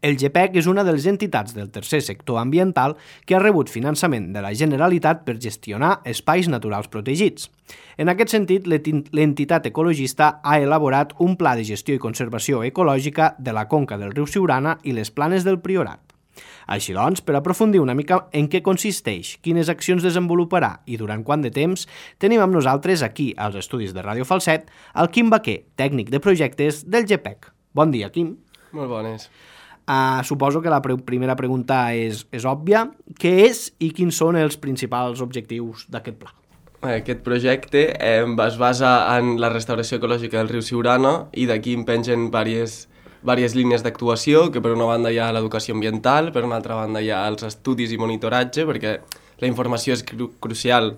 El GPEC és una de les entitats del tercer sector ambiental que ha rebut finançament de la Generalitat per gestionar espais naturals protegits. En aquest sentit, l'entitat ecologista ha elaborat un pla de gestió i conservació ecològica de la conca del riu Siurana i les Planes del Priorat. Així doncs, per aprofundir una mica en què consisteix, quines accions desenvoluparà i durant quant de temps, tenim amb nosaltres aquí, als estudis de Ràdio Falset, el Quim Baquer, tècnic de projectes del GPEC. Bon dia, Quim. Molt bones. Suposo que la primera pregunta és òbvia. Què és i quins són els principals objectius d'aquest pla? Aquest projecte es basa en la restauració ecològica del riu Siurana i d'aquí en pengen diverses línies d'actuació, que per una banda hi ha l'educació ambiental, per una altra banda hi ha els estudis i monitoratge, perquè la informació és crucial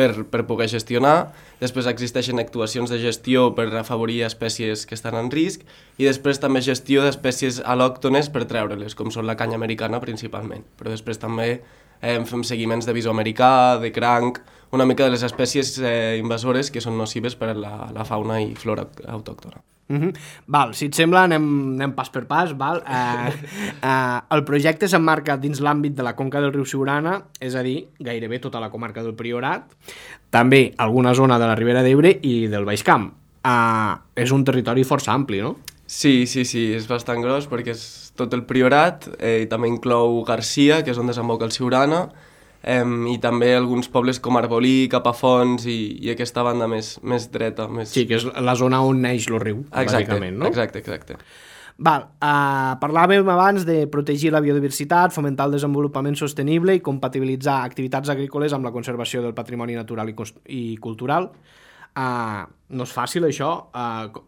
per poder gestionar. Després existeixen actuacions de gestió per afavorir espècies que estan en risc i després també gestió d'espècies al·lòctones per treure-les, com són la canya americana principalment. Però després també fem seguiments de visó americà, de cranc, una mica de les espècies invasores que són nocives per a la fauna i flora autòctona. Val, si et sembla, anem pas per pas. Val? El projecte s'emmarca dins l'àmbit de la conca del riu Siurana, és a dir, gairebé tota la comarca del Priorat, també alguna zona de la Ribera d'Ebre i del Baix Camp. És un territori força ampli, no? Sí, és bastant gros perquè és tot el Priorat, i també inclou Garcia, que és on desemboca el Siurana, i també alguns pobles com Arbolí, Capafonts i aquesta banda més dreta. Sí, que és la zona on neix el riu, bàsicament, no? Exacte. Val, parlàvem abans de protegir la biodiversitat, fomentar el desenvolupament sostenible i compatibilitzar activitats agrícoles amb la conservació del patrimoni natural i cultural. No és fàcil, això.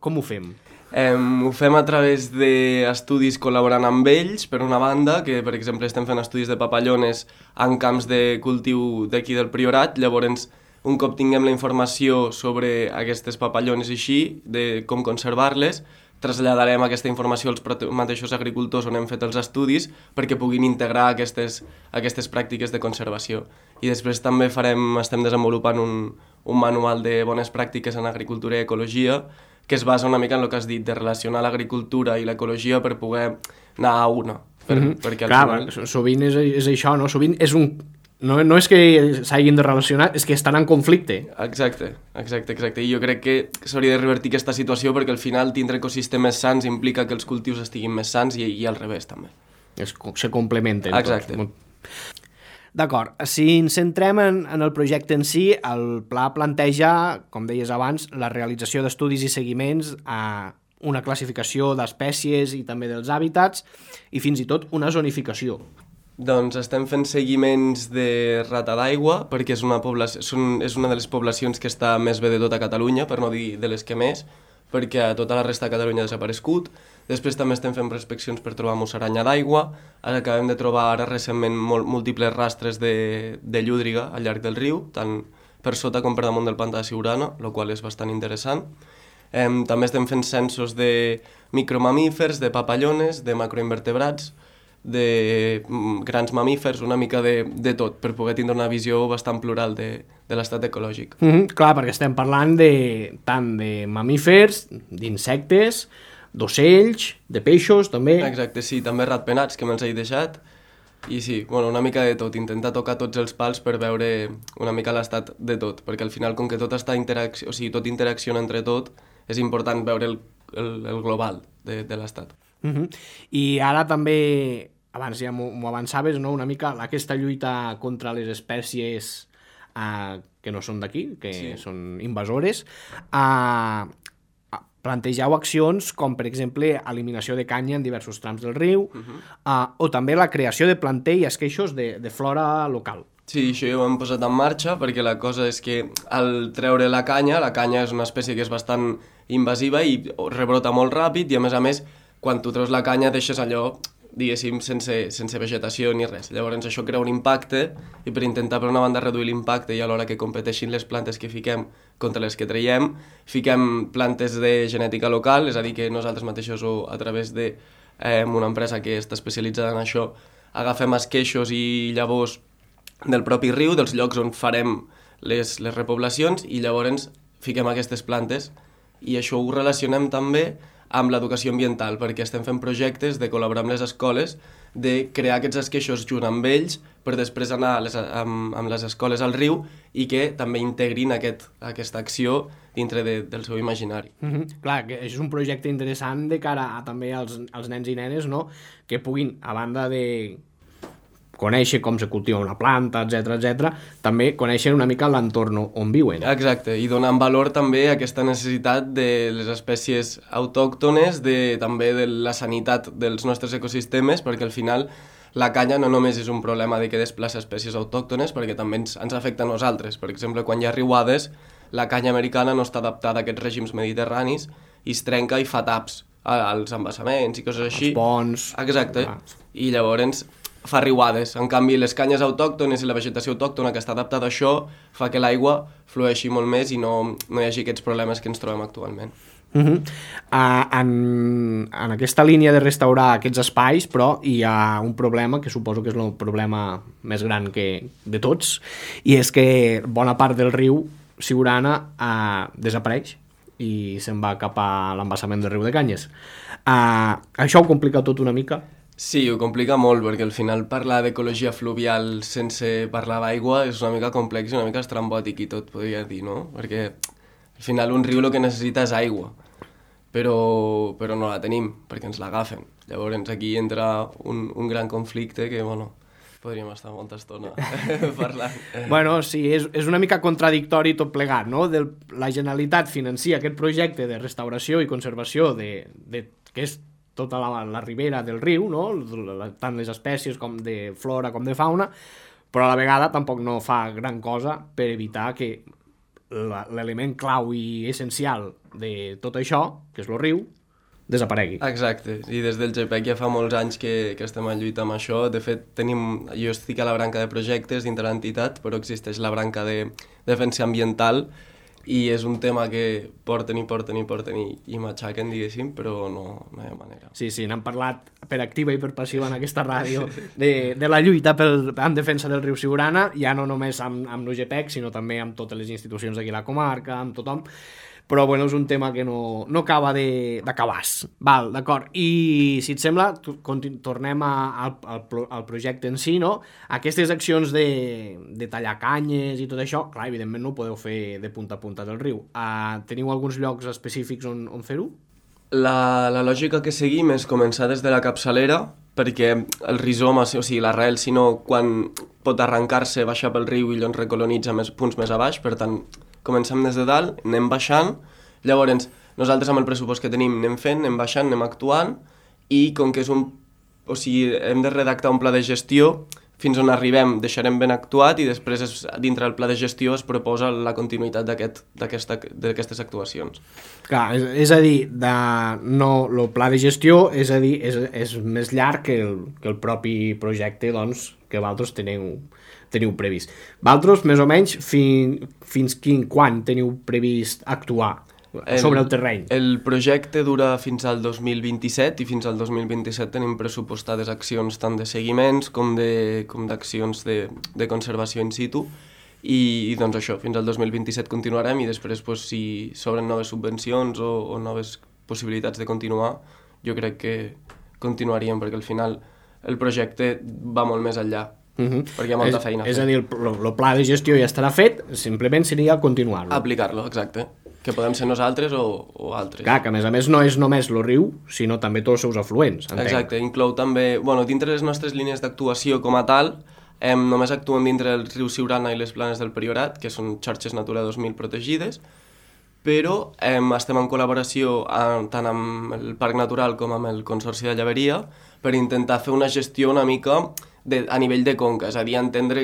Com ho fem? Ho fem a través d'estudis col·laborant amb ells, per una banda, que per exemple estem fent estudis de papallones en camps de cultiu d'aquí del Priorat. Llavors, un cop tinguem la informació sobre aquestes papallones i així, de com conservar-les, traslladarem aquesta informació als mateixos agricultors on hem fet els estudis perquè puguin integrar aquestes pràctiques de conservació. I després també estem desenvolupant un manual de bones pràctiques en agricultura i ecologia que es basa una mica en el que has dit, de relacionar l'agricultura i l'ecologia per poder anar a una. Perquè Clar, sovint és això, no? Sovint és un... No és que s'hagin de relacionar, és que estan en conflicte. Exacte. I jo crec que s'hauria de revertir aquesta situació perquè al final tindre ecosistemes sants implica que els cultius estiguin més sants i al revés també. Se complementen. Exacte. D'acord, si ens centrem en el projecte en si, el pla planteja, com deies abans, la realització d'estudis i seguiments, una classificació d'espècies i també dels hàbitats i fins i tot una zonificació. Doncs estem fent seguiments de rata d'aigua perquè és una de les poblacions que està més bé de tota Catalunya, per no dir de les que més, perquè a tota la resta de Catalunya ha desaparegut. Després també estem fent prospeccions per trobar musaranya d'aigua. Acabem de trobar ara recentment múltiples rastres de llúdriga al llarg del riu, tant per sota com per damunt del pantà de Siurana, el qual és bastant interessant. També estem fent censos de micromamífers, de papallones, de macroinvertebrats, de grans mamífers, una mica de tot, per poder tindre una visió bastant plural de l'estat ecològic. Clar, perquè estem parlant tant de mamífers, d'insectes, d'ocells, de peixos, també. Exacte, sí, també ratpenats, que me'ls he deixat. I sí, una mica de tot, intentar tocar tots els pals per veure una mica l'estat de tot, perquè al final, com que tot tot interacciona entre tot, és important veure el global de l'estat. I ara també, abans ja m'ho avançaves, no? Una mica aquesta lluita contra les espècies que no són d'aquí, que són invasores, plantegeu accions com, per exemple, eliminació de canya en diversos trams del riu, o també la creació de planter i esqueixos de flora local. Sí, això ja ho hem posat en marxa perquè la cosa és que al treure la canya és una espècie que és bastant invasiva i rebrota molt ràpid i a més, quan tu treus la canya deixes allò, diguéssim, sense vegetació ni res. Llavors això crea un impacte i per intentar per una banda reduir l'impacte i alhora que competeixin les plantes que fiquem contra les que traiem, fiquem plantes de genètica local, és a dir, que nosaltres mateixos o a través d'una empresa que està especialitzada en això agafem esqueixos i llavors del propi riu, dels llocs on farem les repoblacions i llavors fiquem aquestes plantes i això ho relacionem també amb l'educació ambiental, perquè estem fent projectes de col·laborar amb les escoles, de crear aquests esqueixos junt amb ells per després anar amb les escoles al riu i que també integrin aquesta acció dintre del seu imaginari. Clar, que és un projecte interessant de cara també als nens i nenes, no? Que puguin, a banda de conèixer com se cultiva una planta, etc, també conèixer una mica l'entorn on viuen. Exacte, i donant valor també a aquesta necessitat de les espècies autòctones, també de la sanitat dels nostres ecosistemes, perquè al final la canya no només és un problema de que desplaça espècies autòctones, perquè també ens afecta a nosaltres. Per exemple, quan hi ha riuades, la canya americana no està adaptada a aquests règims mediterranis i es trenca i fa taps als embassaments i coses així. Els ponts. Exacte, i llavors fa riuades. En canvi, les canyes autòctones i la vegetació autòctona que està adaptada a això fa que l'aigua flueixi molt més i no hi hagi aquests problemes que ens trobem actualment. En aquesta línia de restaurar aquests espais, però hi ha un problema que suposo que és el problema més gran de tots, i és que bona part del riu Siurana desapareix i se'n va cap a l'embassament del riu de Canyes. Això ho complica tot una mica? Sí, ho complica molt, perquè al final parlar d'ecologia fluvial sense parlar d'aigua és una mica complex i una mica estrambòtic i tot, podria dir, no? Perquè al final un riu el que necessita és aigua, però no la tenim, perquè ens l'agafen. Llavors aquí entra un gran conflicte que, bueno, podríem estar molta estona parlant. Bueno, sí, és una mica contradictori tot plegat, no? La Generalitat financia aquest projecte de restauració i conservació que és tota la ribera del riu, no? Tant les espècies com de flora com de fauna, però a la vegada tampoc no fa gran cosa per evitar que l'element clau i essencial de tot això, que és el riu, desaparegui. Exacte, i des del GPEC ja fa molts anys que estem en lluita amb això. De fet, jo estic a la branca de projectes dintre l'entitat, però existeix la branca de defensa ambiental i és un tema que porten i matxaquen, diguéssim, però no hi ha manera. Sí, n'han parlat per activa i per passiva en aquesta ràdio de la lluita en defensa del riu Siurana, ja no només amb l'UGPEC, sinó també amb totes les institucions d'aquí a la comarca, amb tothom, però bueno, és un tema que no acaba d'acabar-se. Val, d'acord. I si et sembla, tornem al projecte en si, no? Aquestes accions de tallar canyes i tot això, clar, evidentment no ho podeu fer de punta a punta del riu. Teniu alguns llocs específics on fer-ho? La lògica que seguim és començar des de la capçalera, perquè el rizoma, o sigui, l'arrel, sinó quan pot arrencar-se, baixar pel riu i llavors recolonitza punts més a baix, per tant, comencem des de dalt, anem baixant, llavors nosaltres amb el pressupost que tenim anem fent, anem baixant, anem actuant, i com que hem de redactar un pla de gestió, fins on arribem deixarem ben actuat i després dintre del pla de gestió es proposa la continuïtat d'aquestes actuacions. Clar, és a dir, el pla de gestió és més llarg que el propi projecte doncs, que vosaltres teniu previst. Vosaltres, més o menys, fins quan teniu previst actuar sobre el terreny? El projecte dura fins al 2027 i fins al 2027 tenim pressupostades accions tant de seguiments com d'accions de conservació in situ i doncs això, fins al 2027 continuarem i després si s'obren noves subvencions o noves possibilitats de continuar, jo crec que continuaríem perquè al final el projecte va molt més enllà. Perquè hi ha molta feina a fer. És a dir, el pla de gestió ja estarà fet, simplement seria continuar-lo. Aplicar-lo, exacte. Que podem ser nosaltres o altres. Clar, que a més no és només el riu, sinó també tots els seus afluents, entenc. Exacte, inclou també, dintre les nostres línies d'actuació com a tal, només actuem dintre del riu Siurana i les planes del Priorat, que són xarxes Natura 2000 protegides, però estem en col·laboració tant amb el Parc Natural com amb el Consorci de Llaveria per intentar fer una gestió una mica a nivell de conca, és a dir, entendre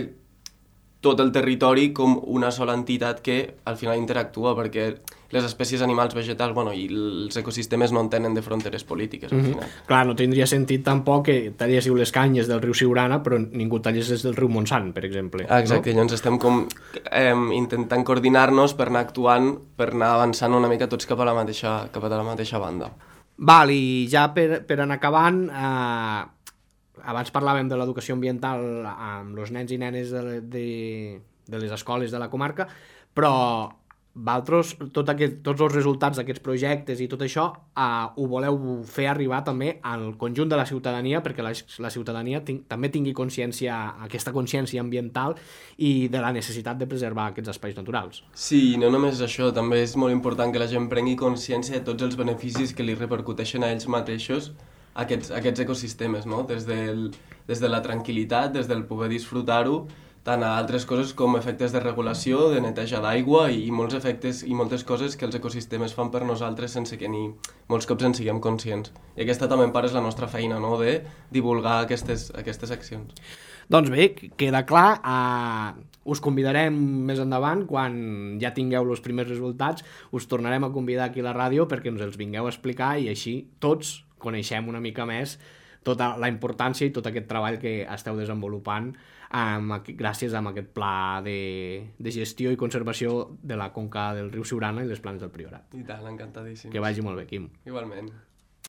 tot el territori com una sola entitat que al final interactua, perquè les espècies animals, vegetals, i els ecosistemes no entenen de fronteres polítiques, al final. Clar, no tindria sentit tampoc que talléssiu les canyes del riu Siurana, però ningú tallés des del riu Montsant, per exemple. Exacte, llavors estem intentant coordinar-nos per anar actuant, per anar avançant una mica tots cap a la mateixa banda. Val, i ja per anar acabant, abans parlàvem de l'educació ambiental amb els nens i nenes de les escoles de la comarca, però vosaltres, tots els resultats d'aquests projectes i tot això ho voleu fer arribar també al conjunt de la ciutadania perquè la ciutadania també tingui aquesta consciència ambiental i de la necessitat de preservar aquests espais naturals. Sí, no només això, també és molt important que la gent prengui consciència de tots els beneficis que li repercuteixen a ells mateixos aquests ecosistemes, no? Des de la tranquil·litat, des del poder disfrutar-ho, tant a altres coses com efectes de regulació, de neteja d'aigua i molts efectes i moltes coses que els ecosistemes fan per nosaltres sense que molts cops en siguem conscients. I aquesta també en part és la nostra feina, no? De divulgar aquestes accions. Doncs bé, queda clar, us convidarem més endavant, quan ja tingueu els primers resultats, us tornarem a convidar aquí a la ràdio perquè ens els vingueu a explicar i així tots coneixem una mica més tota la importància i tot aquest treball que esteu desenvolupant gràcies a aquest pla de gestió i conservació de la conca del riu Siurana i les planes del Priorat. I tant, encantadíssim. Que vagi molt bé, Quim. Igualment.